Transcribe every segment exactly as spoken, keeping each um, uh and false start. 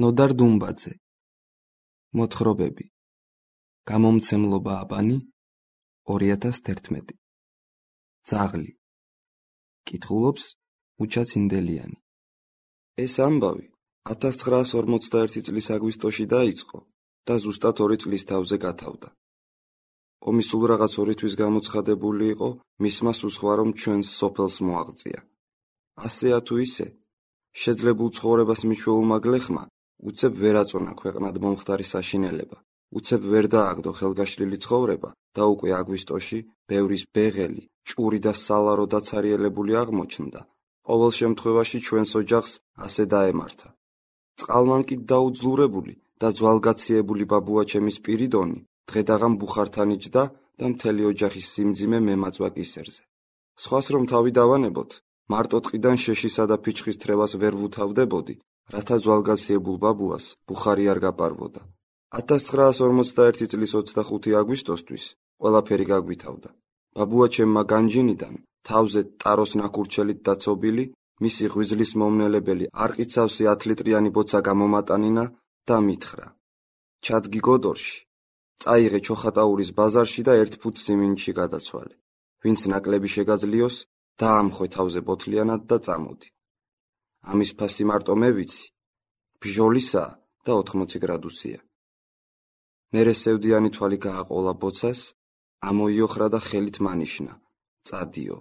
ნოდარ დუმბაძე. მოთხრობები. გამომცემლობა აბანი ორი ათას თერთმეტი. ძაღლი. კითხულობს უჩა ცინდელიანი. ეს ამბავი ათას ცხრაას ორმოცდაერთი წლის აგვისტოში დაიწყო და ზუსტად ორი წლის თავზე გათავდა. ომი სულ რაღაც ორი თვის გამოცხადებული იყო, მისმა სუსხვა რომ ჩვენს სოფელს მოაღწია. ასეა თუ ისე, შეძლებულ ცხოვრებას მიჩვეულმა გლეხმა უცებ ვერ აწონა ქვეყნად მომხდარი საშინელება, უცებ ვერ დააგდო ხელგაშლილი ცხოვრება და უკვე აგვისტოში ბევრის ბეღელი, ჭური და სალარო დაცარიელებული აღმოჩნდა. ყოველ შემთხვევაში ჩვენს ოჯახს ასე დაემართა. წყალმანკი დაუძლურებული და ძვალგაციებული ბაბუაჩემის პირიდონი დღედაღამ ბუხართან იჯდა და მთელი ოჯახის სიმძიმე მემაწვა კისერზე. სხვას რომ თავი დავანებოთ, მარტო ტყიდან შეშისა და ფიჩხის თრევას ვერ ვუთავდებოდი, რათა ძვალგაციებულ ბაბუას ბუხარი არ გაპარვოდა. ათას ცხრაას ორმოცდაერთი წლის ოცდახუთი აგვისტოსთვის ყველაფერი გაგვითავდა. ბაბუაჩემმა განჯინიდან თავზე ტაროს ნაკურჩელით დაცობილი, მისი ღვიძლის მომნელებელი არყიცავსი ათლიტრიანი ბოცა გამომატანინა და მითხრა: ჩადგი გოდორში, წაიღე ჩოხატაურის ბაზარში და ერთ ფუთ სიმინდში გადაცვალე. ვინც ნაკლები შეგაძლიოს, დაამხვე თავზე ბოთლიანად და წამოდი. ამის ფასი მარტო მე ვიცი, ბჟოლისაა და ოთხმოცი გრადუსია. მერე სევდიანი თვალი გააყოლა ბოცას, ამოიოხრა და ხელით მანიშნა: წადიო.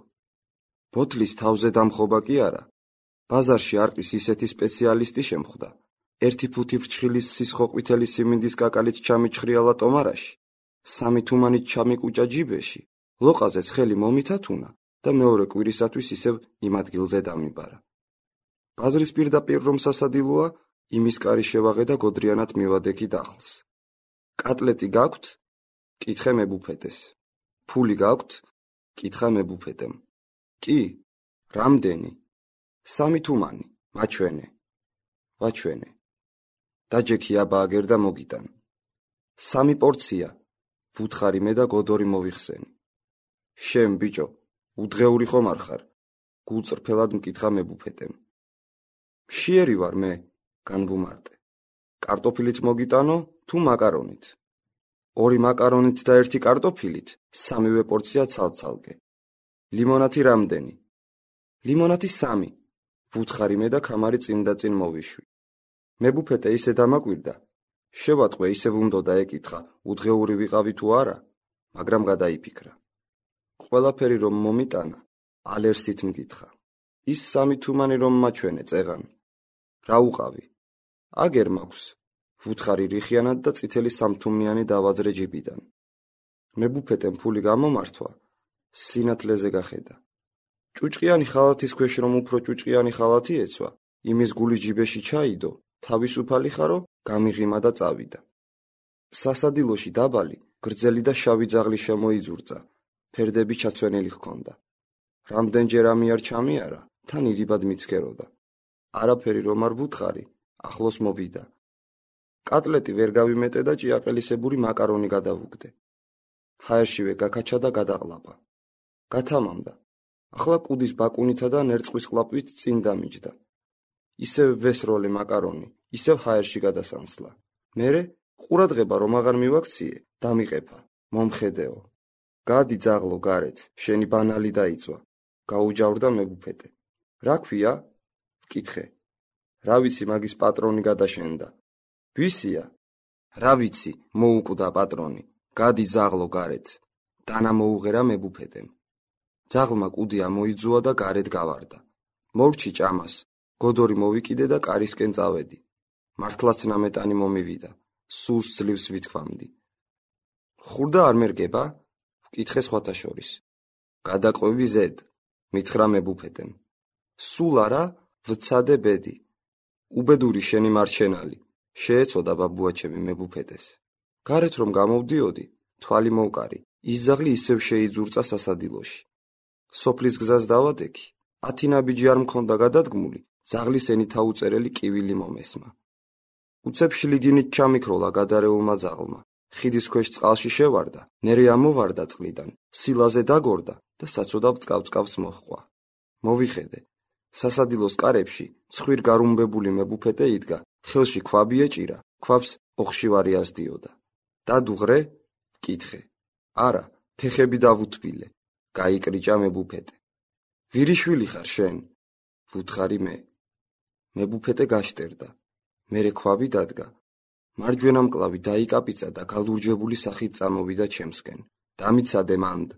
ბოთლის თავზე დამხობა კი არა, ბაზარში არყის ისეთი სპეციალისტი შემხვდა. ერთი ფუთი ფრჩხილის სისხოყვითელი სიმინდის კაკალით ჩამიჩხრიალა ტომარაში, სამი თუმანით ჩამიკუჭა ჯიბეში, ლოყაზეც ხელი მომითათუნა და მეორე კვირისათვის ისევ იმ ადგილზე დამიბარა. ბაზრის პირდაპირ რომ სასადილოა, იმის კარი შევაღე და გოდრიანად მივადექი დახლს. კატლეტი გაქვთ? კითხე მებუფეტეს. ფული გაქვთ? კითხა მებუფეტემ. კი, რამდენი? სამი თუმანი, მაჩვენე. ვაჩვენე. დაჯექი აბა აგერ და მოგიტან. სამი პორცია, ვუთხარი მე და გოდორი მოვიხსენი. შენ ბიჭო, უდღეური ხომ არ ხარ? გულწრფელად მკითხა მებუფეტემ. მშიერი ვარ მე, განვუმარტე. კარტოფილით მოგიტანო თუ მაკარონით? ორი მაკარონით და ერთი კარტოფილით, სამივე პორცია ცალ-ცალკე. ლიმონათი რამდენი? ლიმონათი სამი. ვუთხარი მე და ქამარი წინ და წინ მოვიშვი. მებუფეტე ისე დამაკვირდა, შევატყვე ისევ უნდოდა ეკითხა, უდღეური ვიყავი თუ არა, მაგრამ გადაიფიქრა. ყველაფერი რომ მომიტანა, ალერსით მკითხა. ის სამი თუმანი რომ მაჩვენე წეღან. რა უყავი? აგერ მაქვს. ვუთხარი რიხიანად და წითელი სამთუმნიანი დავაძრე ჯიბიდან. მებუფეტემ ფული გამომართვა, სინათლეზე გახედა. ჭუჭყიანი ხალათის ქვეშ რომ უფრო ჭუჭყიანი ხალათი ეცვა, იმის გული ჯიბეში ჩაიდო, თავისუფალი ხარო, გამიღიმა და წავიდა. სასადილოში დაბალი, გრძელი და შავი ძაღლი შემოიძურწა, ფერდები ჩაცვენილი ჰქონდა. რამდენჯერ ამიარ ჩამიარა, თან ირიბად მიცქეროდა. არაფერი რომ არ ვუთხარი, ახლოს მოვიდა. კატლეტი ვერ გავიმეტე და ჭიაყელისებური მაკარონი გადავუგდე. ჰაერშივე გაქაჩა და გადაყლაპა. გათამამდა. ახლა კუდის ბაკუნითა და ნერწყვის ყლაპვით წინ დამიჯდა. ისევ ვესროლე მაკარონი, ისევ ჰაერში გადასანსლა. მერე ყურადღება რომ აღარ მივაქციე, დამიყეფა, მომხედეო. გადი ძაღლო გარეთ, შენი ბანალი დაიწვა. გაუჯავრდა მებუფეტე. რა ქვია? ვკითხე. რა ვიცი, მაგის პატრონი გადაშენდა. ვისია? რა ვიცი, მოუკვდა პატრონი. გადი ძაღლო გარეთ. დანა მოუღერა მებუფეტემ. ძაღლმა კუდი ამოიძუა და გარეთ გავარდა. მორჩი ჭამას, გოდორი მოვიკიდე და კარისკენ წავედი. მართლაც ნამეტანი მომივიდა. სულს ძლივს ვითქვამდი. ხურდა არ მერგება? ვკითხე სხვათა შორის. გადაყვევი ზედ, მითხრა მებუფეტემ. სულ არა, ვცადე ბედი. უბედური შენი მარჩენალი, შეეწოდა ბაბუაჩემი მებუფეტეს. გარეთ რომ გამოვდიოდი, თვალი მოვკარი, ის ძაღლი ისევ შეიძურწა სასადილოში. სოფლის გზას დავადექი, ათი ნაბიჯი არ მქონდა გადადგმული, ძაღლის ენითა უწერელი კივილი მომესმა. უცებ შლიგინით ჩამიქროლა გადარეულმა ძაღლმა, ხიდის ქვეშ წყალში შევარდა, ნერე ამოვარდა წყლიდან, სილაზე დაგორდა და საცოდავ წყავ-წყავს მოჰყვა. მოვიხედე, სასადილოს კარებში ცხვირ გარუმბებული მებუფეტე იდგა ხელში ქვაბი ეჭირა, ქვაბს ოხშივარი ასდიოდა. დადუღრე? ვკითხე. არა, ფეხები დავუთბილე. გაიკრიჭა მებუფეტე. ვირიშვილი ხარ შენ? ვუთხარი მე. მებუფეტე გაშტერდა. მერე ქვაბი დადგა. მარჯვენა მკლავი დაიკაპიცა და გალურჯებული სახით წამოვიდა ჩემსკენ. დამიცადე მანდ.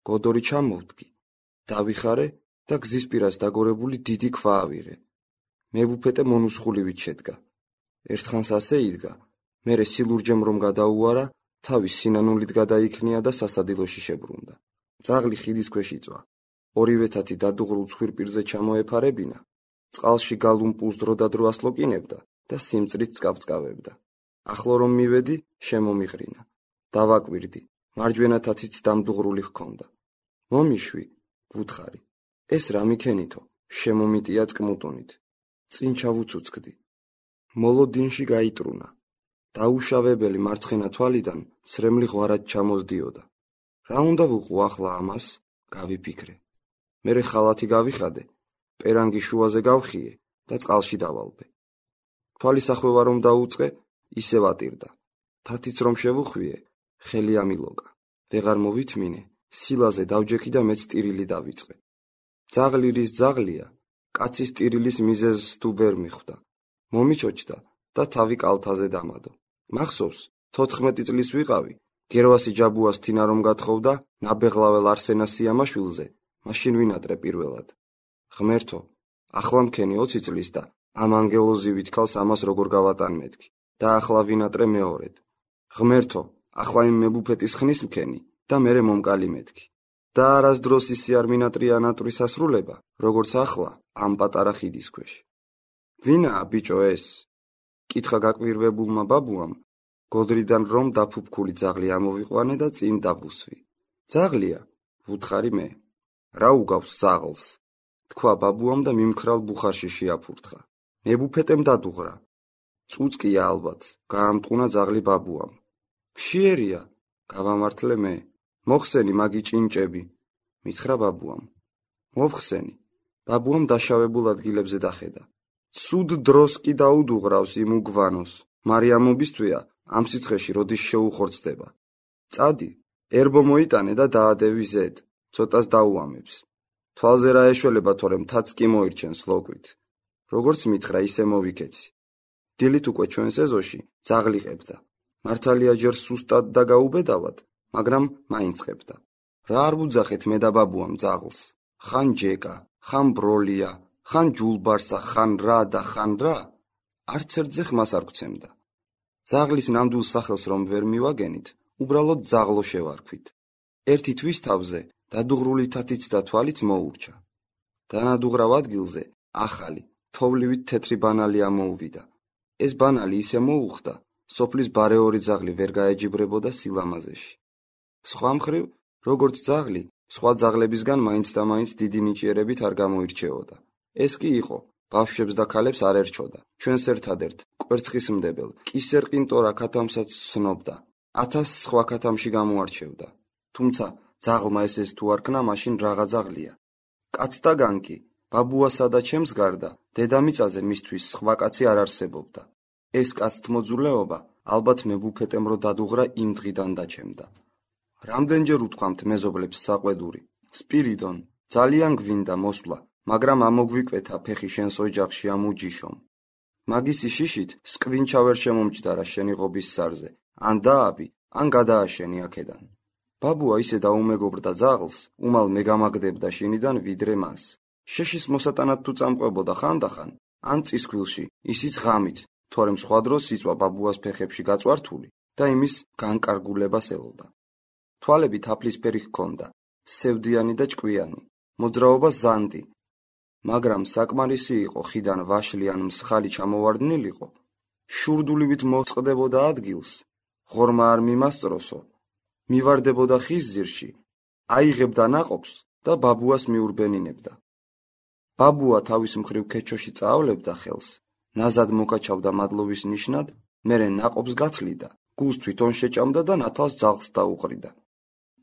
გოდორი ჩამოვდგი. დავიხარე და გზის პირას დაგორებული დიდი ქვა ავიღე. მებუფეტე მონუსხულივით შედგა. ერთხანს ასე იდგა, მერე სილურჯემ რომ გადაუარა, თავის სინანულით გადაიქნია და სასადილოში შებრუნდა. ძაღლი ხიდის ქვეშ იწვა. ორივე თათი დადუღრულ ცხვირპირზე ჩამოეფარებინა, წყალში გალუმპულს დროდადრო ასლოკინებდა და სიმწრით წკავწკავებდა. ახლო რომ მივედი, შემომიყრინა. დავაკვირდი, მარჯვენა თათიც დამდუღრული ჰქონდა. მომიშვი, ვუთხარი. ეს რა მიქენითო, შემომიტია წკმუტუნით. წინ ჩავუცუცკდი. მოლოდინში გაიტრუნა. დაუშავებელი მარცხენა თვალიდან სრემლი ღვარად ჩამოსდიოდა. რა უნდა ვუყო ახლა ამას? გავიფიქრე. მერე ხალათი გავიხადე, პერანგი შუაზე გავხიე და წყალში დავალბე. თვალის ახვევა რომ დაუწყე, ისე ვატირდა. თათიც რომ შევუხვიე, ხელი ამილოგა. ვეღარ მოვითმინე, სილაზე დავჯექი და მეც ტირილი დავიწყე. ძაღლი რის ძაღლია, კაცის ტირილის მიზეზს თუ ვერ მიხვდა. მომიჩოჩდა და თავი კალთაზე დამადო. მახსოვს, თოთხმეტი წლის ვიყავი, გერვასი ჯაბუას თინა რომ გათხოვდა ნაბეღლაվել არსენას სიამაშვილზე, მაშინ ვინატრე პირველად. ღმერთო, ახლა მქენი ოცი წლის და ამ ანგელოზივით ქალს ამას როგორ გავატანმეთქი და ახლა ვინატრე მეორედ. ღმერთო, ახლა იმ მებუფეტის ხნის მქენი და მერე მომკალი მეთქი. და არასდროს ისი არ მინატრია ნატვრის ასრულება, როგორც ახლა ამ პატარა ხიდის ქვეშ. ვინაა ბიჭო ეს? კითხა გაკვირვებულმა ბაბუამ, გოდრიდან რომ დაფუფქული ძაღლი ამოვიყვანე და წინ დაბუსვი. ძაღლია, ვუთხარი მე. რა უგავს ძაღლს? თქვა ბაბუამ და მიმქრალ ბუხარში შეაფურთხა. მებუფეტემ დადუღრა. წუწკია ალბათ, გაამტყუნა ძაღლი ბაბუამ. მშიერია, გავამართლე მე. მოხსენი მაგი ჭინჭები, მითხრა ბაბუამ. მოვხსენი. ბაბუამ დაშავებულ ადგილებზე დახედა. ცუდ დროს კი დაუდუღრავს იმ უგვანოს. მარიამობისთვია ამ სიცხეში როდის შეუხორცდება. წადი, ერბო მოიტანე და დაადევი ზედ, ცოტას დაუამებს. თვალზე რა ეშველება თორემ თაც კი მოირჩენს ლოკვით. როგორც მითხრა ისე მოვიქეცი. დილით უკვე ჩვენ სეზოში ძაღლი ყებდა. მართალია ჯერ სუსტად და გაუბედავად, მაგრამ მაინც ყებდა. რა არ ვუძახეთ მე და ბაბუამ ძაღლს? ხან ჯეკა, ხან ბროლია, ხან ჯულბარსა, ხან რა და ხან რა? არც ერთზე ხმას არ გვცემდა. ძაღლის ნამდვილ სახელს რომ ვერ მივაგენით, უბრალოდ ძაღლო შევარქვით. ერთი თვის თავზე დადუღრული თათიც და თვალიც მოურჩა. დანადუღრავ ადგილზე ახალი, თოვლივით თეთრი ბანალი ამოუვიდა. ეს ბანალი ისე მოუხდა, სოფლის ბარეორი ძაღლი ვერ გაეჯიბრებოდა სილამაზეში. სხვა მხრივ, როგორც ძაღლი, სხვა ძაღლებისგან მაინც და მაინც დიდი ნიჭიერებით არ გამოირჩეოდა. ეს კი იყო, ბავშვებს და ქალებს არ ერჩოდა. ჩვენს ერთადერთ კვერცხისმდებელ კისერ ყინტორა ქათამსაც სცნობდა. ათას სხვა ქათამში გამოარჩევდა. თუმცა ძაღლმა ესეს თუ არ ქნა, მაშინ რაღა ძაღლია. კაცთაგან კი, ბაბუასა და ჩემს გარდა, დედამიწაზე მისთვის სხვა კაცი არ არსებობდა. ეს კაცთმოძულეობა ალბათ მებუფეტემ რო დადუღრა იმ დღიდან დაჩემდა. რამდენჯერ უთქვამთ მეზობლებს საყვედური, სპირიდონ, ძალიან გვინდა მოსვლა, მაგრამ ამოგვიკვეთა ფეხი შენს ოჯახში ამ უჯიშომ. მაგისი შიშით სკვინჩა ვერ შემომჭდარა შენი ღობის სარზე, ან დააბი, ან გადააშენი აქედან. ბაბუა ისე დაუმეგობრდა ძაღლს, უმალ მეგამაგდებდა შინიდან ვიდრე მას. შეშის მოსატანად თუ წამყვებოდა ხანდახან, ან წისქვილში, ისიც ღამით, თორემ სხვა დროს იწვა ბაბუას ფეხებში გაწვართული და იმის განკარგულებას ელოდა. თვალები თაფლისფერი ჰქონდა, სევდიანი და ჭკვიანი, მოძრაობა ზანდი, მაგრამ საკმარისი იყო ხიდან ვაშლი ან მსხალი ჩამოვარდნილიყო, შურდულივით მოწყდებოდა ადგილს, ღორმა არ მიმასწროსო, მივარდებოდა ხის ძირში, აიღებდა ნაყოფს და ბაბუას მიურბენინებდა. ბაბუა თავის მხრივ ქეჩოში წაავლებდა ხელს, ნაზად მოკაჩავდა მადლობის ნიშნად, მერე ნაყოფს გათლიდა, გულს თვითონ შეჭამდა და ნათალს ძაღლს დაუყრიდა.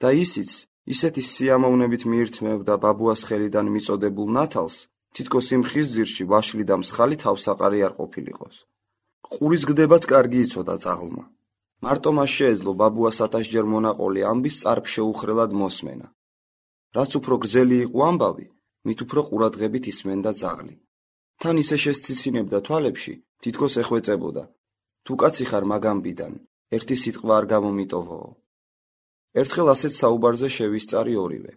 და ისიც ისეთი სიამოვნებით მიირთმევდა ბაბუას ხელიდან მიწოდებულ ნათალს, თითქოს იმ ხის ძირში ვაშლი და მსხალი თავსაყარი არ ყოფილიყოს. ყურის გდებაც კარგი იცოდა ძაღლმა. მარტო მას შეეძლო ბაბუას ათასჯერ მონაყოლი ამბის წარფ შეუხრელად მოსმენა. რაც უფრო გრძელი იყო ამბავი, მით უფრო ყურადღებით ისმენდა ძაღლი. თან ისე შესციცინებდა თვალებში, თითქოს ეხვეწებოდა. თუ კაცი ხარ მაგამბიდან, ერთი სიტყვა არ გამომიტოვოო. ერთხელ ასეთ საუბარზე შევისწარი ორივე.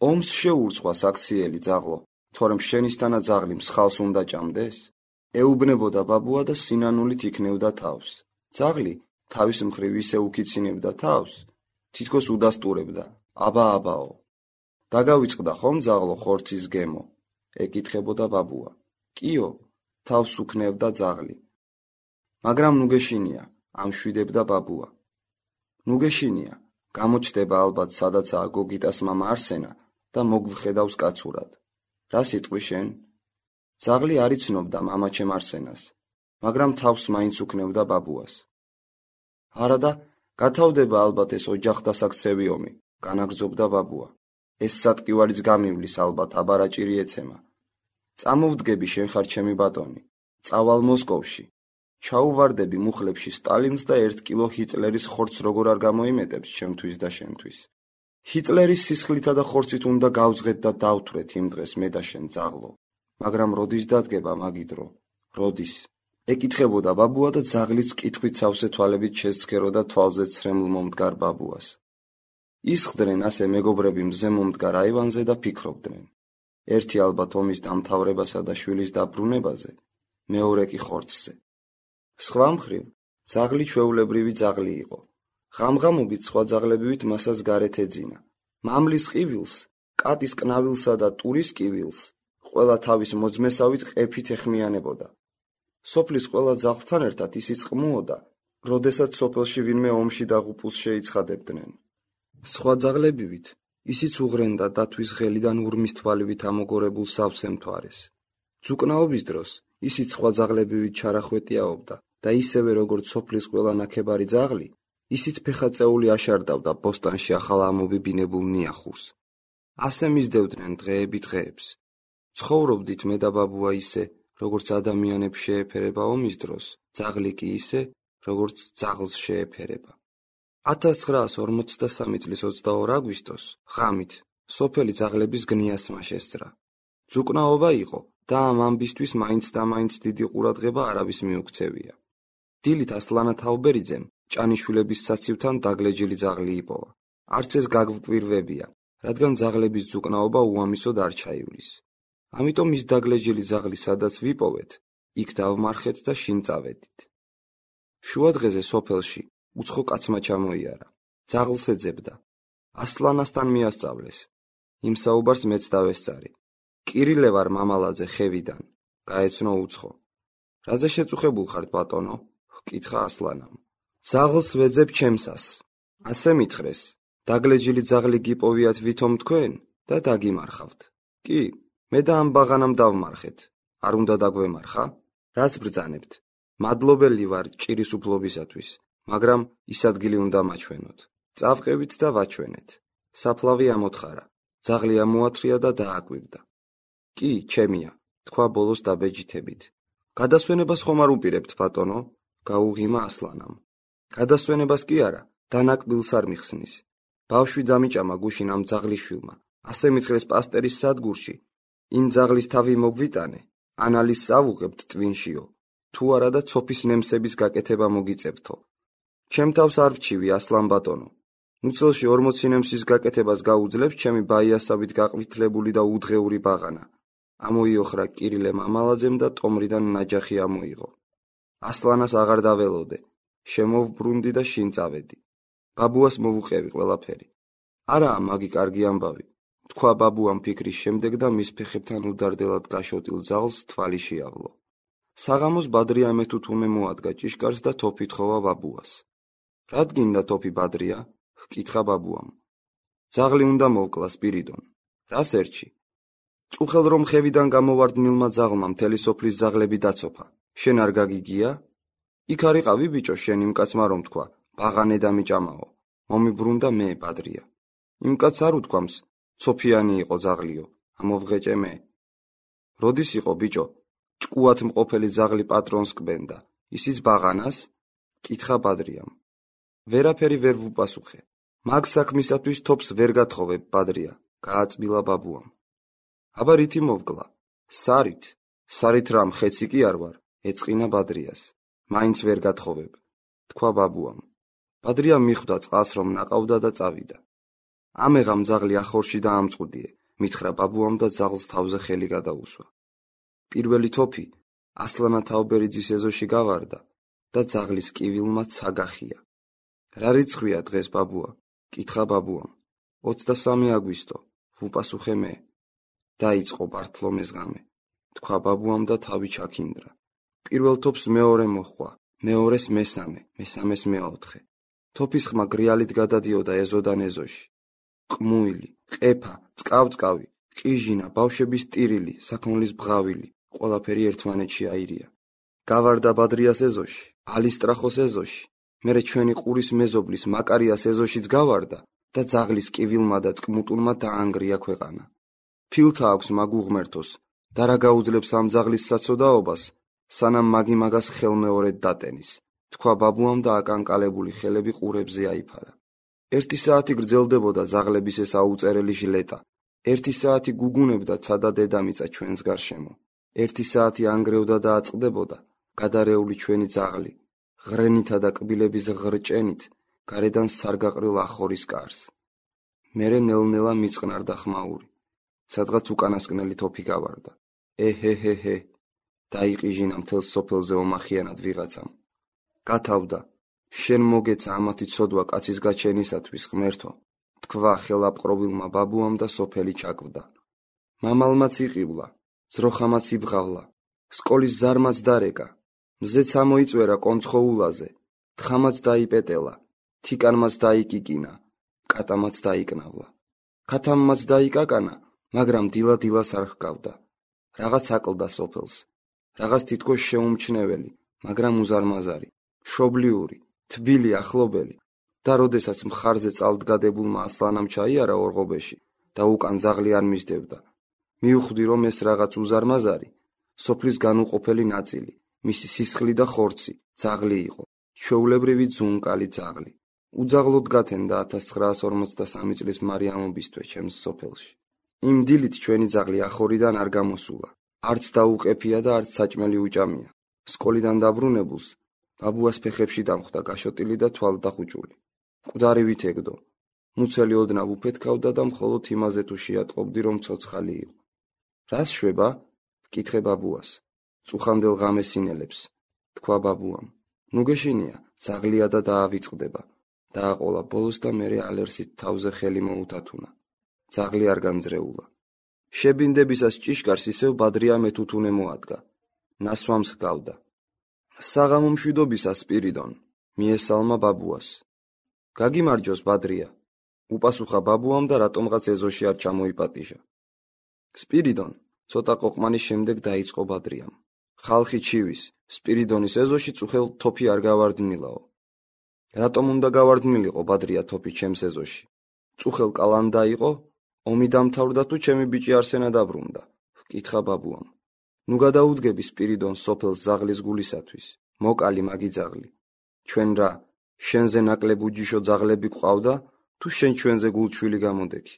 ომს შეურცვა საქციელი ძაღლო, თორემ შენისთანა ძაღლი მსხალს უნდა ჭამდეს? ეუბნებოდა ბაბუა და სინანულით იქნევდა თავს. ძაღლი თავის მხრივ ისე უკიცინებდა თავს, თითქოს უდასტურებდა, აბა აბაო. დაგავიწყდა ხომ ძაღლო ხორცის გემო? ეკითხებოდა ბაბუა. კიო, თავს უქნევდა ძაღლი. მაგრამ ნუგეშინია, ამშვიდებდა ბაბუა. ნუგეშინია, გამოჩდება ალბათ სადაცაა გოგიტას მამა არსენა და მოგвხედავს კაცურად. რა სიტყვი შენ? ძაღლი არ იცნობდა მამაჩემ არსენას, მაგრამ თავს მაინც უქნევდა ბაბუას. არადა, გათავდება ალბათ ეს ოჯახდასაქცევი ომი, განაგრძობდა ბაბუა. ეს სატკივარიც გამივლის ალბათ აბარაჭირი ეცემა. წამოვდგები შენ ხარ ჩემი ბატონი, წავალ მოსკოვში. ჩაუვარდები მუხლებში სტალინს და ერთ კილო ჰიტლერის ხორცს როგორ არ გამოიმეტებს ჩემთვის და შენთვის. ჰიტლერის სისხლითა და ხორცით უნდა გავძღეთ და დავთვრეთ იმ დღეს მე და შენ ძაღლო. მაგრამ როდის დადგება მაგი დრო? როდის? ეკითხებოდა ბაბუა და ძაღლიც კითხვით სავსე თვალებით შესცქეროდა თვალზე ცრემლ მომდგარ ბაბუას. ისხდნენ ასე მეგობრები მზე მომდგარ აივანზე და ფიქრობდნენ. ერთი ალბათ ომის დამთავრებასა და შვილის დაბრუნებაზე, მეორე კი ხორცზე. სხვა მხრივ, ძაღლი ჩვეულებრივი ძაღლი იყო. ღამღამობით სხვა ძაღლებივით მასაც გარეთ ეძინა. მამლის ყივილს, კატის კნავილსა და ტურის კივილს, ყველა თავის მოძმესავით ყეფით ეხმიანებოდა. სოფლის ყველა ძაღლთან ერთად ისიც ყმუოდა, როდესაც სოფელში ვინმე ომში დაღუპულს შეიცხადებდნენ. სხვა ძაღლებივით ისიც უღრენდა დათვის ღელიდან ურმის თვალივით ამოგორებულ სავსე მთვარეს. ძუკნაობის დროს ისიც სხვა ძაღლებივით ჩარახვეტიაობდა და ისევე როგორც სოფლის ყველა ნაქებარი ძაღლი, ისიც ფეხაწეული აშარდავდა ბოსტანში ახალ ამობიბინებულ ნიახურს. ასე მისდევდნენ დღეები დღეებს. ცხოვრობდით მე და ბაბუა ისე, როგორც ადამიანებს შეეფერება ომის დროს, ძაღლი კი ისე, როგორც ძაღლს შეეფერება. ათას ცხრაას ორმოცდასამი წლის ოცდაორ აგვისტოს, ღამით, სოფელი ძაღლების გნიასმა შესძრა. ძუკნაობა იყო და ამ ამბისთვის მაინც და მაინც დიდი ყურადღება არავის მიუქცევია. დილით ასლანა თაუბერიძემ ჭანიშვილების საცივთან დაგლეჯილი ძაღლი იპოვა. არც ეს გაგვკვირვებია, რადგან ძაღლების ძუკნაობა უამისოდ არ ჩაივლის. ამიტომ ის დაგლეჯილი ძაღლი სადაც ვიპოვეთ, იქ დავმარხეთ და შინ წავედით. შუა დღეზე სოფელში უცხო კაცმა ჩამოიარა. ძაღლს ეძებდა. ასლანასთან მიასწავლეს. იმ საუბარს მეც დავესწარი. კირილე ვარ მამალაძე ხევიდან, გაეცნო უცხო. რაზე შეწუხებულ ხართ ბატონო? ჰკითხა ასლანამ. ძაღლს ვეძებ ჩემსას. ასე მითხრეს, დაგლეჯილი ძაღლი გიპოვიათ ვითომ თქვენ და დაგიმარხავთ. კი, მე და ამ ბაღანამ დავმარხეთ. არ უნდა დაგვემარხა? რას ბრძანებთ? მადლობელი ვარ ჭირის უფლობისათვის, მაგრამ ის ადგილი უნდა მაჩვენოთ. წავყევით და ვაჩვენეთ. საფლავი ამოთხარა. ძაღლი ამოათრია და დააკვირდა. კი, ჩემია, თქვა ბოლოს დაბეჯითებით. გადასვენებას ხომ არ უპირებთ, ბატონო? გაუღიმა ასლანამ. გადასვენებას კი არა, დანაკბილს არ მიხსნის. ბავშვი დამიჭამა გუშინ ამ ძაღლიშვილმა. ასე მითხრეს პასტერის სადგურში. იმ ძაღლის თავი მოგვიტანე, ანალიზს ავუღებთ ტვინშიო. თუ არა და ცოფის ნემსების გაკეთება მოგიწევთო. ჩემ თავს არ ვჩივი ასლან ბატონო. მუცელში ორმოცი ნემსის გაკეთებას გაუძლებს ჩემი ბაიასავით გაყვითლებული და უდღეური ბაღანა. ამოიოხრა კირილე მამალაძემ და ტომრიდან ნაჯახი ამოიღო. ასლანას აღარ დაველოდე. შემოვბრუნდი და შინ წავედი. ბაბუას მოვუყევი ყველაფერი. არაა მაგი კარგი ამბავი. თქვა ბაბუამ ფიქრის შემდეგ და მის ფეხებთან უდარდელად გაშოტილ ძაღლს თვალი შეავლო. საღამოს ბადრია მეთუთუნე მოადგა ჭიშკარს და თოფი თხოვა ბაბუას. რად გინდა თოფი ბადრია? ჰკითხა ბაბუამ. ძაღლი უნდა მოვკლა სპირიდონ. რას ერჩი? წუხელ რომ ხევიდან გამოვარდნილმა ძაღლმა მთელი სოფლის ძაღლები დაცოფა. შენ არ გაგიგია? იქ არიყავი ბიჭო შენ იმ კაცმა რომ თქვა, ბაღანე დამიჭამაო. მომიბრუნდა მე ბადრია. იმ კაცს არ უთქვამს, ცოფიანი იყო ძაღლიო, ამოვღეჭე მე. როდის იყო ბიჭო? ჭკუათ მყოფელი ძაღლი პატრონს კბენდა. ისიც ბაღანას? კითხა ბადრიამ. ვერაფერი ვერ ვუპასუხე. მაგ საქმისათვის თოფს ვერ გათხოვებ, ბადრია, გააწმილა ბაბუამ. აბა რითი მოვკლა? სარით, სარით რამ ხეცი კი არ ვარ, ეწყინა ბადრიას. მაინც ვერ გათხოვებ, თქვა ბაბუამ. ბადრიამ მიხვდა წყალს რომ ნაყავდა და წავიდა. ამეღამ ძაღლი ახორში დაამწყუდიე, მითხრა ბაბუამ და ძაღლს თავზე ხელი გადაუსვა. პირველი თოფი ასლანა თაობერიძის ეზოში გავარდა და ძაღლის კივილმა ცაგახია. რა რიცხვია დღეს, ბაბუა? კითხა ბაბუამ. ოცდასამი აგვისტო, ვუპასუხე მე. დაიწყო ბართლომეს ღამე, თქვა ბაბუამ და თავი ჩაქინდრა. პირველ თოფს მეორე მოჰყვა, მეორეს მესამე, მესამეს მეოთხე. თოფის ხმა გრიალით გადადიოდა ეზოდან ეზოში. ყმუილი, ყეფა, წყავწყავი, ყიჟინა, ბავშვების ტირილი, საქონლის ბღავილი, ყველაფერი ერთმანეთში აირია. გავარდა ბადრიას ეზოში, ალისტრახოს ეზოში, მერე ჩვენი ყურის მეზობლის მაკარიას ეზოშიც გავარდა და ძაღლის კივილმა და წყმუტულმა დაანგრია ქვეყანა. ფილთა აქვს მაგ უღმერთოს და რა გაუძლებს ამ ძაღლის საცოდაობას, სანამ მაგი მაგას ხელმეორედ დატენის, თქვა ბაბუამ და აკანკალებული ხელები ყურებზე აიფარა. ერთი საათი გრძელდებოდა ძაღლების ეს აუწერელი ჟლეტა. ერთი საათი გუგუნებდა ცადა დედამიწა ჩვენს გარშემო. ერთი საათი ანგრევდა და აწყდებოდა გადარეული ჩვენი ძაღლი, ღრენითა და კბილების ღრჭენით, გარედან სარგაყრილ ახორის კარს. მერე ნელ-ნელა მიწყნარდა ხმაური. სადღაც უკანასკნელი თოფი გავარდა. ეჰეჰეჰე, დაიყიჟინა მთელს სოფელზე ომახიანად ვიღაცამ. გათავდა, შენ მოგეცა ამათი ცოდვა კაცის გაჩენისათვის, ღმერთო, თქვა ხელაპყრობილმა ბაბუამ და სოფელი ჩაკვდა. მამალმაც იყივლა, ძროხამაც იბღავლა, სკოლის ზარმაც დარეკა, მზეც ამოიწვერა კონცხოულაზე, თხამაც დაიპეტელა, თიკანმაც დაიკიკინა, კატამაც დაიკნავლა. ქათამმაც დაიკაკანა, მაგრამ დილა-დილას არ ჰგავდა. რაღაც აკლდა სოფელს, რაღაც თითქოს შეუმჩნეველი, მაგრამ უზარმაზარი, შობლიური, თბილი ახლობელი. და როდესაც მხარზე წალდგადებულმა ასლანამ ჩაიარა ორღობეში და უკან ძაღლი არ მისდევდა, მიუხვდი რომ ეს რაღაც უზარმაზარი სოფლის განუყოფელი ნაწილი, მისი სისხლი და ხორცი, ძაღლი იყო, ჩვეულებრივი ძუნკალი ძაღლი. უძაღლოდ გათენდა ათას ცხრაას ორმოცდასამი წლის მარიამობისთვის ჩემს სოფელში. იმ დილით ჩვენი ძაღლი ახორიდან არ გამოსულა, არც დაუყეფია და არც საჭმელი უჭამია. სკოლიდან დაბრუნებულს ბაბუას ფეხებში დამხვდა გაშოტილი და თვალდახუჭული. მკვდარი ვითეგდო, მუცელი ოდნავ უფეთქავდა და მხოლოდ იმაზე თუ შეატყობდი რომ ცოცხალი იყო. რას შვება? ვკითხე ბაბუას. წუხანდელ ღამესინელებს, თქვა ბაბუამ. ნუ გეშინია, ძაღლია და დაავიწყდება. დააყოლა ბოლოს და მერე ალერსით თავზე ხელი მოუთათუნა. ძაღლი არ განძრეულა. შებინდებისას ჭიშკარს ისევ ბადრია მეთუთუნე მოადგა. ნასვამს ჰგავდა. საღამო მშვიდობისას, სპირიდონ, მიესალმა ბაბუას. გაგიმარჯოს, ბადრია, უპასუხა ბაბუამ და რატომღაც ეზოში არ ჩამოიპატიჟა. სპირიდონ, ცოტა ყოყმანის შემდეგ დაიწყო ბადრიამ. ხალხი ჩივის, სპირიდონის ეზოში წუხელ თოფი არ გავარდნილაო. რატომ უნდა გავარდნილიყო ბადრია თოფი ჩემს ეზოში? წუხელ კალანდა იყო, ომი დამთავრდა თუ ჩემი ბიჭი არსენა დაბრუნდა, ვკითხა ბაბუამ. ნუ გადაუდგები სპირიდონ სოფელს ძაღლის გულისათვის, მოკალი მაგი ძაღლი. ჩვენ რა, შენზე ნაკლებ უჯიშო ძაღლები გვყავდა, თუ შენ ჩვენზე გულჩვილი გამოდექი.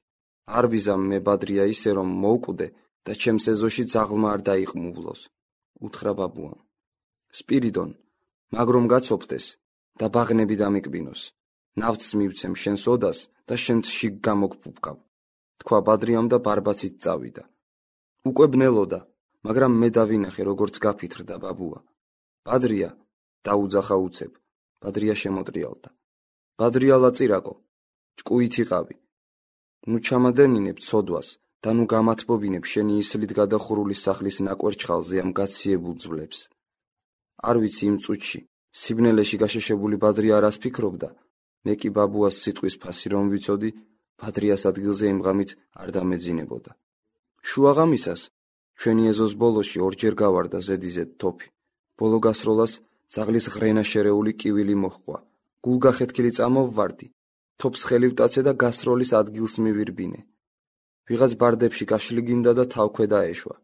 არ ვიზამ მე ბადრია ისე რომ მოვკვდე და ჩემს ეზოში ძაღლმა არ დაიყმუვლოს, უთხრა ბაბუამ. სპირიდონ, მაგრამ გაცოფდეს და ბაღნები დამიკბინოს. ნავთს მივცემ შენს ოდას და შენც შიგ გამოგფუფკავ, თქვა ბადრიამ და ბარბაცით წავიდა. უკვე ბნელოდა, მაგრამ მე დავინახე როგორც გაფითრდა ბაბუა. ბადრია, დაუძახა უცებ. ბადრია შემოტრიალდა. ბადრია ლაწირაკო, ჭკუით იყავი. ნუ ჩამადენინებ ცოდვას და ნუ გამათბობინებ შენი ისლით გადახურული სახლის ნაკვერჩხალზე ამ გაციებულ ძვლებს. არ ვიცი იმ წუთში, სიბნელეში გაშეშებული ბადრია რას ფიქრობდა, მე კი ბაბუას სიტყვის ფასი რომ ვიცოდი, ბადრიას ადგილზე იმ ღამით არ დამეძინებოდა. შუაღამისას, ჩვენი ეზოს ბოლოში ორჯერ გავარდა ზედიზედ თოფი. ბოლო გასროლას ძაღლის ღრენა შერეული კივილი მოჰყვა. გულგახეთქილი წამოვვარდი, თოფს ხელი ვტაცე და გასროლის ადგილს მივირბინე. ვიღაც ბარდებში გაშლიგინდა და თავქვე დაეშვა.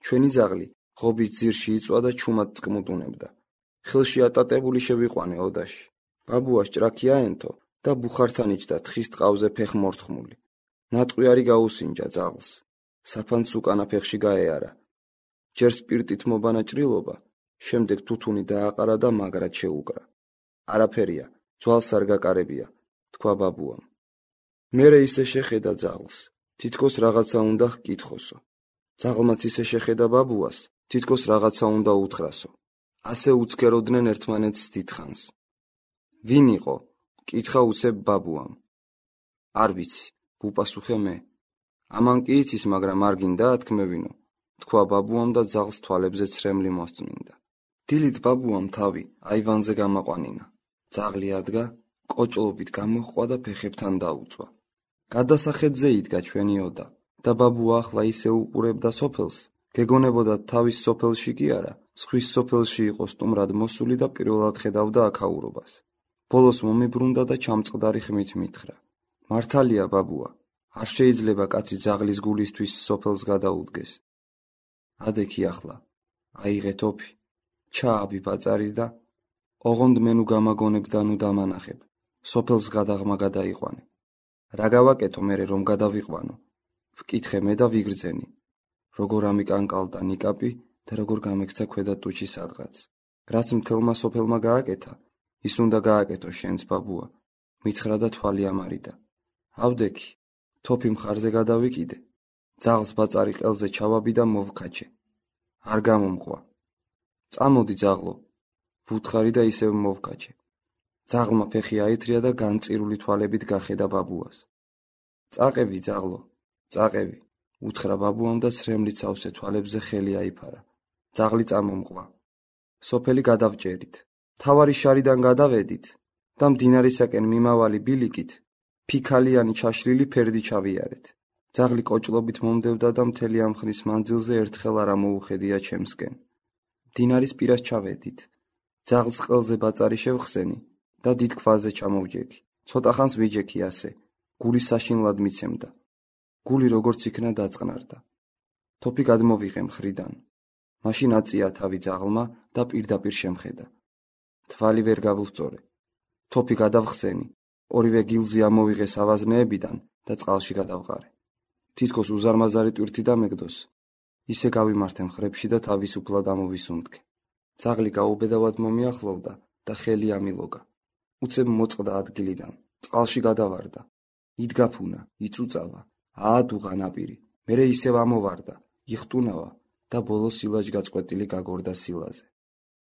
ჩვენი ძაღლი ღობის ძირში იწვა და ჩუმად წკმუტუნებდა. ხელში ატატებული შევიყვანე ოდაში. ბაბუა ჭრაქი აენთო და ბუხართან იჯდა თხის ტყავზე ფეხმორთხმული. ნატყვიარი გაუსინჯა ძაღლს. საფანც უკანა ფეხში გაეარა. ჯერ სპირტით მობანა ჭრილობა, შემდეგ თუთუნი დააყარა და მაგრად შეუკრა. არაფერია, ძვალს არ გაკარებია, თქვა ბაბუამ. მერე ისე შეხედა ძაღლს, თითქოს რაღაცა უნდა ჰკითხოსო. ძაღლმაც ისე შეხედა ბაბუას, თითქოს რაღაცა უნდა უთხრასო. ასე უცქეროდნენ ერთმანეთს დიდხანს. ვინ იყო? კითხა უცებ ბაბუამ. არ ვიცი, გუპასუხე მე. ამან კი იცის, მაგრამ არ გინდა ათქმევინო, თქვა ბაბუამ და ძაღლს თვალებზე ცრემლი მოსწმინდა. დილით ბაბუამ თავი აივანზე გამაყვანინა. ძაღლი ადგა, კოჭლობით გამოჰყვა და ფეხებთან დაუწვა. გადასახედზე იდგა ჩვენი ოდა და ბაბუა ახლა ისე უყურებდა სოფელს, გეგონებოდა თავის სოფელში კი არა, სხვის სოფელში იყო სტუმრად მოსული და პირველად ხედავდა აქაურობას. ბოლოს მომიბრუნდა და ჩამწყდარი ხმით მითხრა. მართალია ბაბუა, არ შეიძლება კაცი ძაღლის გულისთვის სოფელს გადაუდგეს. ადექი ახლა, აიღე თოფი, ჩააბი ბაწარი და ოღონდ მე ნუ გამაგონებ და ნუ დამანახებ, სოფელს გადაღმა გადაიყვანე. რა გავაკეთო მერე რომ გადავიყვანო? ვკითხე მე და ვიგრძენი. როგორ ამიკანკალდა ნიკაპი და როგორ გამექცა ქვედა ტუჩი სადღაც. რაც მთელმა სოფელმა გააკეთა, ის უნდა გააკეთო შენც ბაბუა, მითხრა და თვალი ამარიდა. ავდექი, თოფი მხარზე გადავიკიდე. ძაღლს ბაწარი ყელზე ჩავაბი და მოვქაჩე. არ გამომყვა. წამოდი ძაღლო, ვუთხარი და ისევ მოვქაჩე. ძაღლმა ფეხი აითრია და განწირული თვალებით გახედა ბაბუას. წაყევი ძაღლო, წაყევი, უთხრა ბაბუამ და ცრემლით სავსე თვალებზე ხელი აიფარა. ძაღლი წამომყვა. სოფელი გადავჭერით. თავარი შარიდან გადავედით და მდინარისაკენ მიმავალი ბილიკით ფიქალიანი ჩაშლილი ფერდი ჩავიარეთ. ძაღლი კოჭლობით მომდევდა და მთელი ამ ხნის მანძილზე ერთხელ არ ამოუხედია ჩემსკენ. მდინარის პირას ჩავედით. ძაღლს ყელზე ბაწარი შევხსენი და დიდ ქვაზე ჩამოვჯექი. ცოტა ხანს ვიჯექი ასე. გული საშინლად მიცემდა. გული როგორც იქნა დაწყნარდა. თოფი გადმოვიღე მხრიდან. მაშინ აწია თავი ძაღლმა და პირდაპირ შემხედა. თვალი ვერ გავუსწორე. თოფი გადავხსენი, ორივე გილზი ამოვიღე სავაზნეებიდან და წყალში გადავყარე. თითქოს უზარმაზარი ტვირთი დამეგდოს. ისე გავიმართე მხრებში და თავისუფლად ამოვისუნთქე. ძაღლი გაუბედავად მომიახლოვდა და ხელი ამილოგა. უცებ მოწყდა ადგილიდან, წყალში გადავარდა. იდგა ფუნა, იწუწავა, აადუღა ნაპირი, მერე ისევ ამოვარდა, იხტუნავა და ბოლოს სილაჯ გაწყვეტილი გაგორდა სილაზე.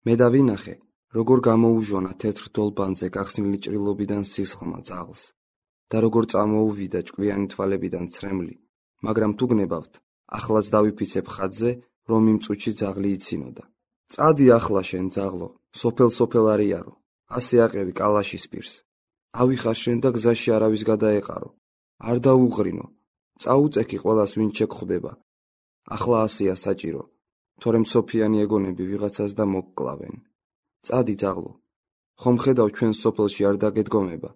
მე დავინახე, როგორ გამოუჟონა თეთრ დოლბანზე გახსნილი ჭრილობიდან სისხლმა ძაღლს და როგორ წამოუვიდა ჭკვიანი თვალებიდან ცრემლი, მაგრამ თუ გნებავთ, ახლაც დავიფიცებ ხატზე, რომ იმ წუთში ძაღლი იცინოდა. წადი ახლა შენ ძაღლო, სოფელ-სოფელ არიარო, ასე აყევი კალაშის პირს. ავიხარ შენ და გზაში არავის გადაეყარო. არ დაუღრინო, წაუწექი ყველას ვინ შეგხვდება. ახლა ასეა საჭირო, თორემ სოფიანი ეგონები ვიღაცას და მოგკლავენ. წადი ძაღლო, ხომ ხედავ ჩვენ სოფელში არ დაგედგომება,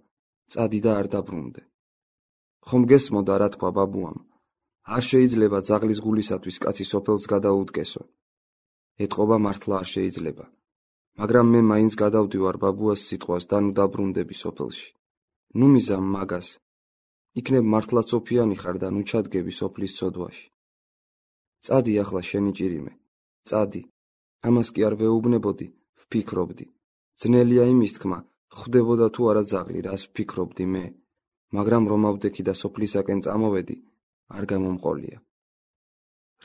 წადი და არ დაბრუნდე. ხომ გესმოდა რა თქვა ბაბუამ, არ შეიძლება ძაღლის გულისათვის კაცი სოფელს გადაუდგესო. ეთყობა მართლა არ შეიძლება, მაგრამ მე მაინც გადავდივარ ბაბუას სიტყვას და ნუ დაბრუნდები სოფელში. ნუ მიზამ მაგას, იქნებ მართლაც ოფიანი ხარ და ნუ ჩადგები სოფლის ცოდვაში. წადი ახლა შენი ჭირიმე, წადი, ამას კი არ ვეუბნებოდი, ვფიქრობდი. ძნელია იმის თქმა, ხვდებოდა თუ არა ძაღლი, რას ვფიქრობდი მე, მაგრამ რომ ავდექი და სოფლისაკენ წამოვედი, არ გამომყოლია.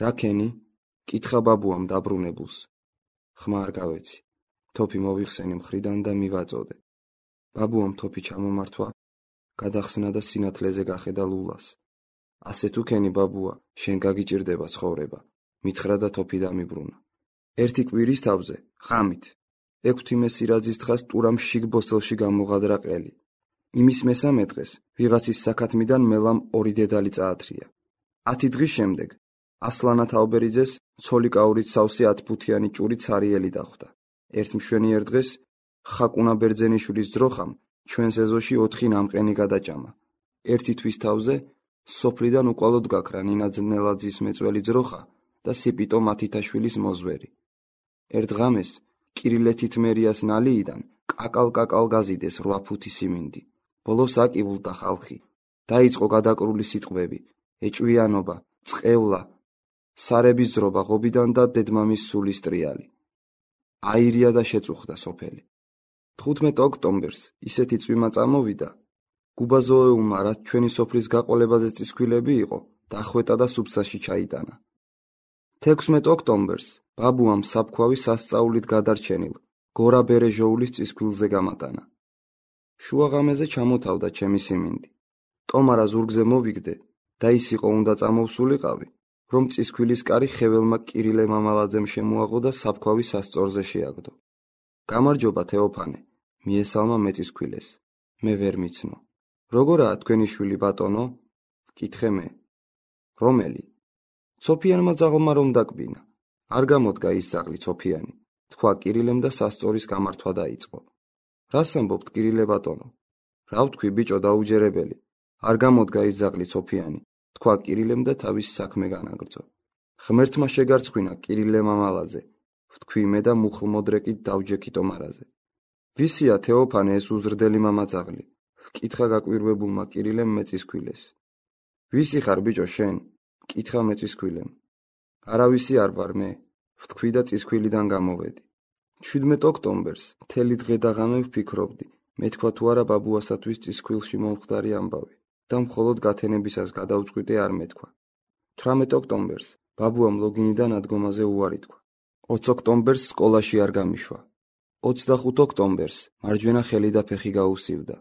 რა ქენი? კითხა ბაბუამ დაბრუნებულს. ხმა არ გავეცი. თოფი მოვიხსენი მხრიდან და მივაწოდე. ბაბუამ თოფი ჩამომართვა, გადახსნა და სინათლეზე გახედა ლულას. ასე თუ ქენი ბაბუა, შენ გაგიჭირდება ცხოვრება, მითხრა და თოფი დამიბრუნა. ერთი კვირის თავზე, ღამით, ექვთიმე სირაძის თხას ტურამ შიგ ბოსტელში გამოღადრა ყელი. იმის მესამე დღეს, ვიღაცის საქათმიდან მელამ ორი დედალი წაათრია. ათი დღის შემდეგ, ასლანა თაუბერიძეს ცოლიკაურით სავსე ათფუთიანი ჭური ცარიელი დახვდა. ერთ მშვენიერ დღეს, ხაკუნა ბერძენიშვილის ძროხამ ჩვენს ეზოში ოთხი ნამყენი გადაჭამა. ერთი თვის თავზე, სოფლიდან უკვალოდ გაქრა ნინა ძნელაძის მეწველი ძროხა და სიპიტო მათითაშვილის მოზვერი. ერთ ღამეს, კირილეთით მერიას ნალიიდან კაკალ-კაკალ გაზიდეს რვა ფუთი სიმინდი. ბოლოს აკივლდა ხალხი. დაიწყო გადაკრული სიტყვები, ეჭვიანობა, წყევლა, სარების ძრობა ღობიდან და დედმამის სულის ტრიალი. აირია და შეწუხდა სოფელი. თხუთმეტ ოქტომბერს ისეთი წვიმა წამოვიდა, გუბაზოეულმა, რაც ჩვენი სოფლის გაყოლებაზე წისქვილები იყო, დახვეტა და სუფსაში ჩაიტანა. თექვსმეტ ოქტომბერს ბაბუამ საფქვავი სასწაულით გადარჩენილ გორა ბერეჟოულის წისქვილზე გამატანა. შუაღამეზე ჩამოთავდა ჩემი სიმინდი. ტომარა ზურგზე მოვიგდე და ის იყო უნდა წამოვსულიყავი, რომ წისქვილის კარი ხეველმა კირილე მამალაძემ შემოაღო და საფქვავი სასწორზე შეაგდო. გამარჯობა თეოფანე, მიესალმა მეწისქვილეს. მე ვერ მიცნო. როგორაა თქვენი შვილი ბატონო? ვკითხე მე. რომელი? ცოფიანმა ძაღლმა რომ დაკბინა. არ გამოდგა ის ძაღლი ცოფიანი, თქვა კირილემ და სასწორის გამართვა დაიწყო. რას ამბობთ კირილე ბატონო? რა ვთქვი ბიჭო დაუჯერებელი, არ გამოდგა ის ძაღლი ცოფიანი, თქვა კირილემ და თავის საქმე განაგრძო. ღმერთმა შეგარცხვინა კირილე მამალაძე, ვთქვი მე და მუხლმოდრეკით დავჯექი ტომარაზე. ვისია თეოფანე ეს უზრდელი მამაძაღლი? ვკითხა გაკვირვებულმა კირილემ მეწისქვილეს. ვისი ხარ ბიჭო შენ? ვკითხა მეწისქვილემ. არავისი არ ვარ მე, ვთქვი და წისქვილიდან გამოვედი. შვიდმეტ ოქტომბერს მთელი დღე და ღამე ვფიქრობდი, მეთქვა თუ არა ბაბუასათვის წისქვილში მომხდარი ამბავი და მხოლოდ გათენებისას გადავწყვიტე არ მეთქვა. თვრამეტ ოქტომბერს ბაბუამ ლოგინიდან ადგომაზე უარი თქვა. ოც ოქტომბერს სკოლაში არ გამიშვა. ოცდახუთ ოქტომბერს მარჯვენა ხელი და ფეხი გაუსივდა.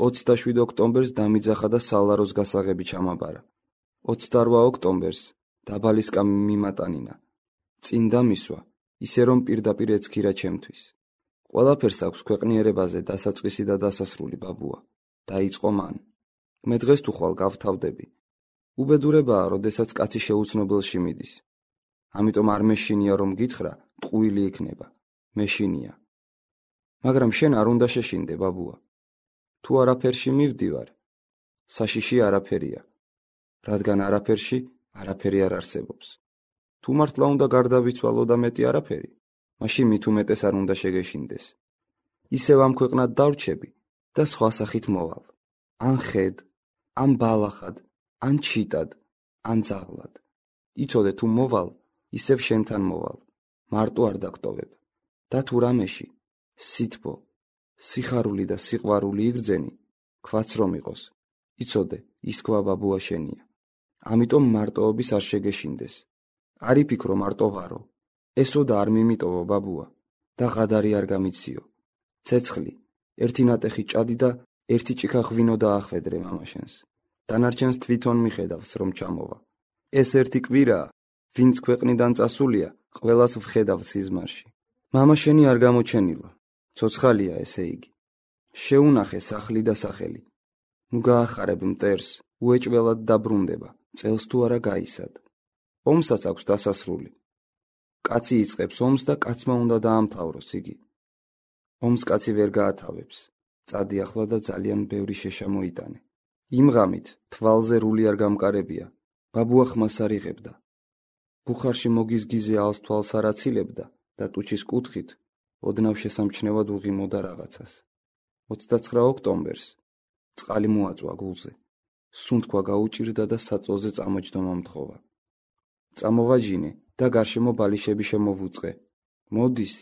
ოცდაშვიდ ოქტომბერს დამიძახა და სალაროს გასაღები ჩამაბარა. ოცდარვა ოქტომბერს დაბალისკა მიმატანინა. წინ დამისვა, ისე რომ პირდაპირ ეცქირა ჩემთვის. ყველაფერს აქვს ქვეყნიერებაზე დასაწყისი და დასასრული ბაბუა. დაიწყო მან. მე დღეს თუ ხვალ გავთავდები. უბედურებაა, როდესაც კაცი შეუცნობელში მიდის. ამიტომ არ მეშინია რომ გითხრა, ტყუილი იქნება. მეშინია. მაგრამ შენ არ უნდა შეშინდე ბაბუა. თუ არაფერში მივდივარ, საშიში არაფერია. რადგან არაფერში არაფერი არ არსებობს. თუ მართლა უნდა გარდავიცვალო და მეტი არაფერი, მაშინ მით უმეტეს არ უნდა შეგეშინდეს. ისევ ამ ქვეყნად დავრჩები და სხვა სახით მოვალ. ან ხედ, ან ბალახად, ან ჩიტად, ან ძაღლად. იცოდე თუ მოვალ, ისევ შენთან მოვალ. მარტო არ დაგტოვებ. და თუ რამეში სითბო, სიხარული და სიყვარული იგრძენი, ქვაც რომ იყოს. იცოდე, ის ქვა ბაბუა შენია. ამიტომ მარტოობის არ შეგეშინდეს. არ იფიქრო მარტო ვარო. ესო და არ მიმიტოვო ბაბუა და ღადარი არ გამიციო. ცეცხლი, ერთი ნატეხი ჭადი და ერთი ჭიქა ღვინო დაახვედრე მამაშენს. დანარჩენს თვითონ მიხედავს რომ ჩამოვა. ეს ერთი კვირაა, ვინც ქვეყნიდან წასულია, ყველას ვხედავ სიზმარში. მამა შენი არ გამოჩენილა. ცოცხალია ესე იგი. შეუნახე სახლი და სახელი. ნუ გაახარებ მტერს, უეჭველად დაბრუნდება, წელს თუ არა გაისად. ომსაც აქვს დასასრული. კაცი იწყებს ომს და კაცმა უნდა დაამთავროს იგი. ომს კაცი ვერ გაათავებს. წადი ახლა და ძალიან ბევრი შეშა მოიტანე. იმ ღამით თვალზე რული არ გამკარებია. ბაბუა ხმას არ იღებდა. ბუხარში მოგიზგიზე ალს თვალს არ აცილებდა და ტუჩის კუთხით ოდნავ შესამჩნევად უღიმოდა რაღაცას. ოცდაცხრა ოქტომბერს წყალი მოაწვა გულზე. სუნთქვა გაუჭირდა და საწოლზე წამოჯდომა მთხოვა. წამოვაჯინე და გარშემო ბალიშები შემოვუწყე. მოდის,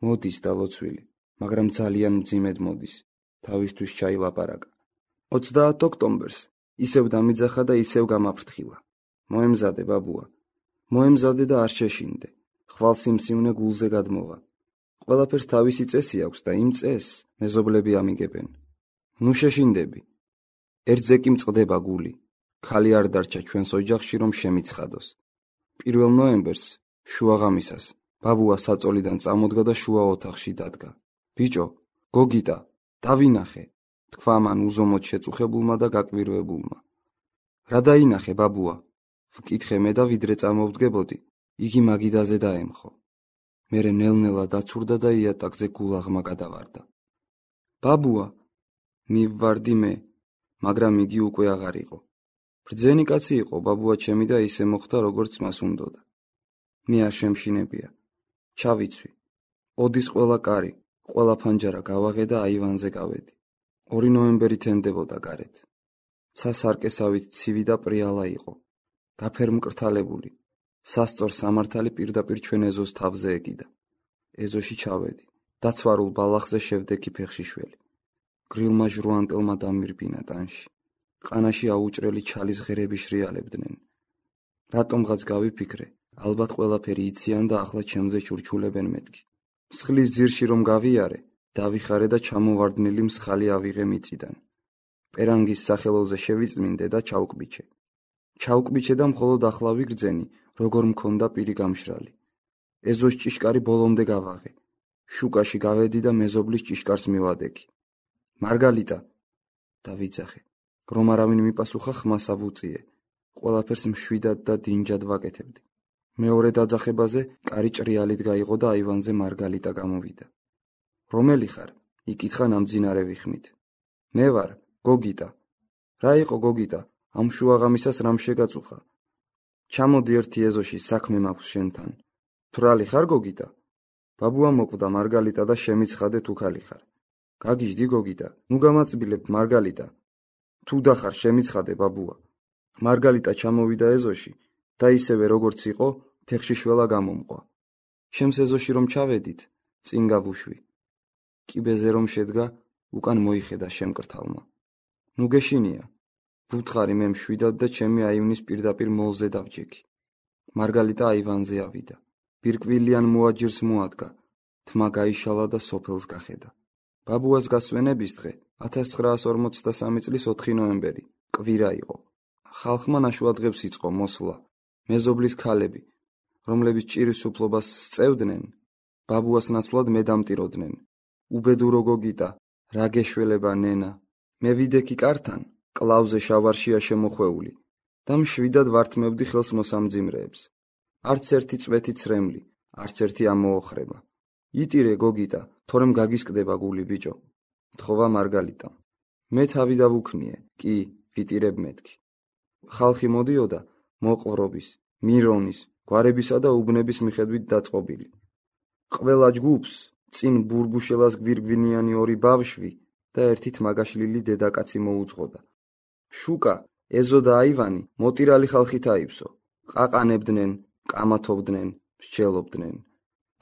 მოდის დალოცვილი, მაგრამ ძალიან მძიმედ მოდის. თავისთვის ჩაილაპარაკა. ოცდაათ ოქტომბერს ისევ დამიძახა და ისევ გამაფრთხილა. მოემზადე ბაბუა. მოემზადე და არ შეშინდე. ხვალ სიმსივნე გულზე გადმოვა. ყველაფერს თავისი წესი აქვს და იმ წესს მეზობლები ამიგებენ. ნუ შეშინდები. ერთზე კი მწყდება გული. ქალი არ დარჩა ჩვენს ოჯახში რომ შემიცხადოს. პირველ ნოემბერს, შუაღამისას, ბაბუა საწოლიდან წამოდგა და შუა ოთახში დადგა. ბიჭო, გოგიტა, დავინახე, თქვა მან უზომოდ შეწუხებულმა და გაკვირვებულმა. რა დაინახე ბაბუა? ვკითხე მე და ვიდრე წამოვდგებოდი, იგი მაგიდაზე დაემხო. მერე ნელ-ნელა დაცურდა და იატაკზე გულაღმა გადავარდა. ბაბუა, მივვარდი მე, მაგრამ იგი უკვე აღარ იყო. ბრძენი კაცი იყო ბაბუა ჩემი და ისე მოხდა როგორც მას უნდოდა. მე არ შემშინებია. ჩავიცვი. ოდის ყველა კარი, ყველა ფანჯარა გავაღე და აივანზე გავედი. ორი ნოემბერი თენდებოდა გარეთ. ცა სარკესავით ცივი და პრიალა იყო. გაფერმკრთალებული. სასწორ სამართალი პირდაპირ ჩვენ ეზოს თავზე ეკიდა. ეზოში ჩავედი. დაცვარულ ბალახზე შევდექი ფეხშიშველი. გრილმა ჟრუანტელმა დამირბინა ტანში. ყანაში აუჭრელი ჩალის ღერები შრიალებდნენ. რატომღაც გავიფიქრე, ალბათ ყველაფერი იციან და ახლა ჩემზე ჩურჩულებენ მეთქი. მსხლის ძირში რომ გავიარე, დავიხარე და ჩამოვარდნილი მსხალი ავიღე მიწიდან. პერანგის სახელოზე შევიწმინდე და ჩავკბიჩე. ჩავკბიჩე და მხოლოდ ახლა ვიგრძენი, როგორ მქონდა პირი გამშრალი. ეზოს ჭიშკარი ბოლომდე გავაღე. შუკაში გავედი და მეზობლის ჭიშკარს მივადექი. მარგალიტა, დავიძახე. რომ არავინ მიპასუხა, ხმას ავუწიე. ყველაფერს მშვიდად და დინჯად ვაკეთებდი. მეორე დაძახებაზე კარი ჭრიალით გაიღო და აივანზე მარგალიტა გამოვიდა. რომელი ხარ? იკითხა ნამძინარე ვიხმით. მე ვარ, გოგიტა. რა იყო გოგიტა? ამ შუაღამისას რამ შეგაწუხა? ჩამოდი ერთი ეზოში, საქმე მაქვს შენთან. თვრალი ხარ გოგიტა? ბაბუა მოკვდა მარგალიტა და შემიცხადე თუ ქალი ხარ. გაგიჟდი გოგიტა, ნუ გამაწბილებ მარგალიტა. თუ დახარ შემიცხადე ბაბუა. მარგალიტა ჩამოვიდა ეზოში და ისევე როგორც იყო, ფეხშიშველა გამომყვა. ჩემს ეზოში რომ ჩავედით, წინ გავუშვი. კიბეზე რომ შედგა, უკან მოიხედა შემკრთალმა. ნუ გეშინია. ვუთხარი მე მშვიდად და ჩემი აივნის პირდაპირ მოლზე დავჯექი. მარგალიტა აივანზე ავიდა. ბირკვილიან მოაჯირს მოადგა. თმა გაიშალა და სოფელს გახედა. ბაბუას გასვენების დღე, ათას ცხრაას ორმოცდასამი წლის ოთხი ნოემბერი, კვირა იყო. ხალხმა ნაშუადღებს იწყო მოსვლა. მეზობლის ქალები, რომლებიც ჭირის უფლობას სწევდნენ, ბაბუას ნაცვლად მედამტიროდნენ. უბედურო გოგიტა, რა გეშველება ნენა. მე ვიდექი კართან, კლავზე შავარშია შემოხვეული და მშვიდად ვართმევდი ხელს მოსამძიმრეებს. არც ერთი წვეთი ცრემლი, არც ერთი ამოოხრება. იტირე გოგიტა, თორემ გაგისკდება გული ბიჭო. თხოვა მარგალიტა. მე თავი დავუქნიე, კი, ვიტირებ მეთქი. ხალხი მოდიოდა მოყვრობის, მირონის, გვარებისა და უბნების მიხედვით დაწყობილი. ყველა ჯგუფს წინ ბურბუშელას გვირგვინიანი ორი ბავშვი და ერთი თმაგაშლილი დედაკაცი მოუძღოდა. შუკა, ეზო და აივანი მოტირალი ხალხით აივსო. ყაყანებდნენ, კამათობდნენ, მსჯელობდნენ.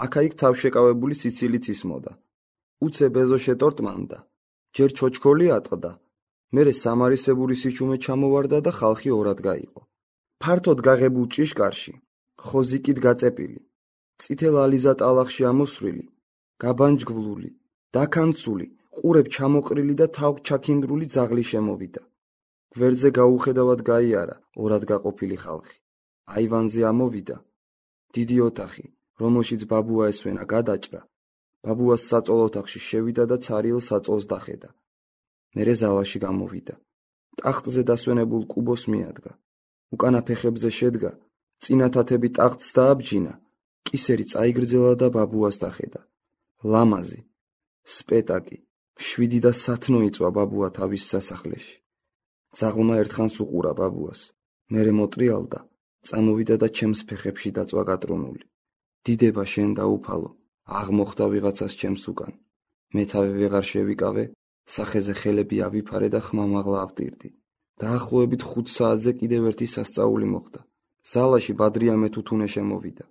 აქა-იქ თავშეკავებული სიცილიც ისმოდა. უცებ ეზო შეტორტმანდა, ჯერ ჩოჩქოლი ატყდა, მერე სამარისებური სიჩუმე ჩამოვარდა და ხალხი ორად გაიყო. ფართოდ გაღებულ ჭიშკარში, ხოზიკით გაწეპილი, წითელ ალიზა ტალახში ამოსვლილი, გაბანჯგვლული, დაქანცული, ყურებ ჩამოყრილი და თავ ჩაქინდრული ძაღლი შემოვიდა. გვერდზე გაუხედავად გაიარა ორად გაყოფილი ხალხი. აივანზე ამოვიდა. დიდი ოთახი, რომელშიც ბაბუა ესვენა, გადაჭრა. ბაბუას საწოლ ოთახში შევიდა და ცარიელ საწოლს დახედა. მერე ზალაში გამოვიდა. ტახტზე დასვენებულ კუბოს მიადგა. უკანა ფეხებზე შედგა, წინა თათები ტახტს დააბჯინა, კისერი წაიგრძელა და ბაბუას დახედა. ლამაზი, სპეტაკი, შვიდი და სათნო იწვა ბაბუა თავის სასახლეში. ძაღლმა ერთხანს უყურა ბაბუას, მერე მოტრიალდა, წამოვიდა და ჩემს ფეხებში დაწვა გატრუნული. დიდება შენ დაუფალო, აღმოხდა ვიღაცას ჩემს უკან. მე თავი ვეღარ შევიკავე, სახეზე ხელები ავიფარე და ხმამაღლა ავტირდი. დაახლოებით ხუთ საათზე კიდევ ერთი სასწაული მოხდა. ზალაში ბადრიამე თუთუნე შემოვიდა.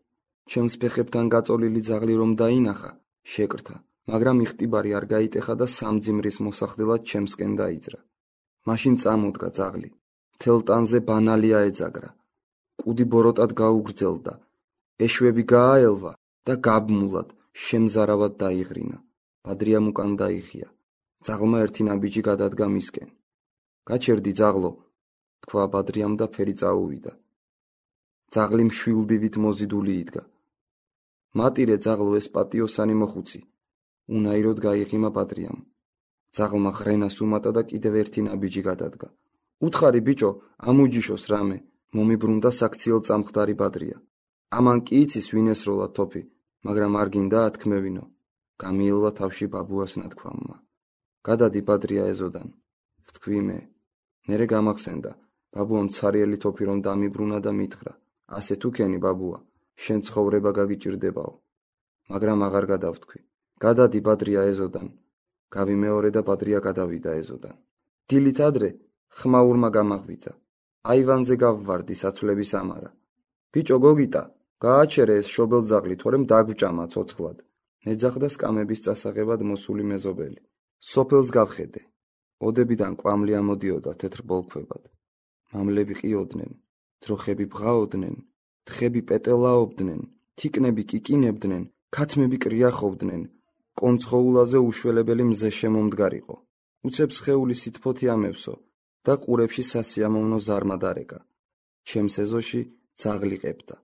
ჩემს ფეხებთან გაწოლილი ძაღლი რომ დაინახა, შეკრთა, მაგრამ იხტიბარი არ გაიტეხა და სამძიმრის მოსახდელად ჩემსკენ დაიძრა. მაშინ წამოდგა ძაღლი. მთელ ტანზე ბანალი აეძაგრა. კუდი ბოროტად გაუგრძელდა. ეშვები გააელვა და გაბმულად, შემზარავად დაიღრინა. ბადრიამ უკან დაიხია. ძაღლმა ერთი ნაბიჯი გადადგა მისკენ. გაჩერდი ძაღლო, თქვა ბადრიამ და ფერი წაუვიდა. ძაღლი მშვილდივით მოზიდული იდგა. მატირე ძაღლო, ეს პატიოსანი მოხუცი. უნაიროდ გაიღიმა ბადრიამ. ძაღლმა ღრენას უმატა და კიდევ ერთი ნაბიჯი გადადგა. უთხარი ბიჭო, ამუჯიშოს რამე, მომიბრუნდა საქციელ წამხდარი ბადრია. ამან კი იცის ვინ ესროლა თოფი, მაგრამ არ გინდა ათქმევინო. გამიელვა თავში ბაბუას ნათქვამმა. გადადი ბადრია ეზოდან. ვთქვი მე. მერე გამახსენდა, ბაბუამ ცარიელი თოფი რომ დამიბრუნა და მითხრა. ასე თუ ქენი ბაბუა, შენ ცხოვრება გაგიჭირდებაო. მაგრამ აღარ გადავთქვი. გადადი ბადრია ეზოდან. გავიმეორე და ბადრია გადავიდა ეზოდან. დილით ადრე ხმაურმა გამაღვიძა. აივანზე გავვარდი საცვლების ამარა. ბიჭო გოგიტა, გააჩერე ეს შობელძაღლი, თორემ დაგვჭამა ცოცხლად. მეძახდა სკამების წასაღებად მოსული მეზობელი. სოფელს გავხედე. ოდებიდან კვამლი ამოდიოდა თეთრ ბოლქვებად. მამლები ყიოდნენ, ძროხები ბღაოდნენ, თხები პეტელაობდნენ, თიკნები კიკინებდნენ, ქათმები კრიახობდნენ. კონცხოულაზე უშველებელი მზე შემომდგარიყო. უცებ სხეული სითფოთი ამევსო და ყურებში სასიამოვნო ზარმა დარეკა. ჩემს ეზოში ძაღლი ყებდა.